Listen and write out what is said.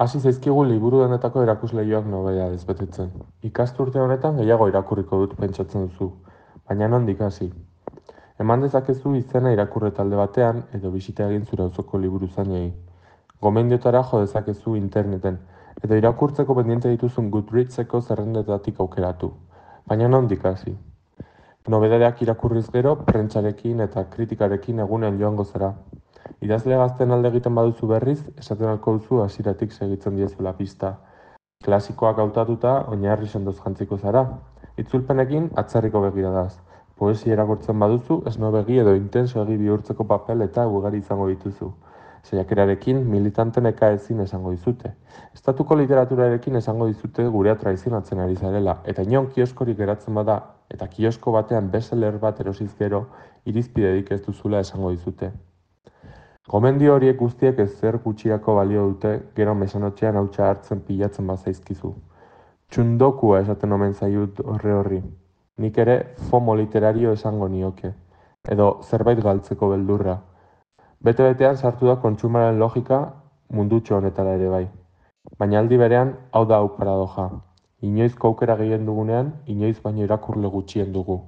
Hasi zaizkigu liburu denetako erakusleihoak nobedadez betetzen. Ikasturte honetan gehiago irakurriko dut pentsatzen duzu, baina nondik hasi. Eman dezakezu izena irakurre talde batean edo bisita egin zure auzoko liburuzainei. Gomendioetara jo dezakezu interneten edo irakurtzeko pendiente dituzun Goodreadseko zerrendetatik aukeratu. Baina nondik hasi. Nobedadeak irakurriz gero, prentsarekin eta kritikarekin egunean joango zara. Idazle gazten alde egiten baduzu berriz, esaten alko duzu hasieratik segitzen diezuela pista. Klasikoak hautatuta, oinarri sendoz jantziko zara. Itzulpenekin atzerriko begiradaz. Poesia irakurtzen baduzu, esnobegi edo intensoegi bihurtzeko papel eta ugari izango dituzu. Saiakerarekin militanten ezin esango dizute. Estatuko literaturarekin esango dizute gurea traizionatzen ari zarela, eta inon kioskorik geratzen bada, eta kiosko batean bestseller bat erosiz gero, irizpiderik ez duzula esango dizute. Gomendio horiek guztiek ezer gutxirako balio dute, gero mesanotxean hautsa hartzen pilatzen bazaizkizu. Txundokua esaten omen zaiut horri. Nik ere FOMO literario esango nioke. Edo zerbait galtzeko beldurra. Bete-betean sartu da kontsumaren logika mundutxo honetara ere bai. Baina aldi berean, hau da hau paradoja. Inoizko aukera gehien dugunean, inoiz baino irakurle gutxien dugu.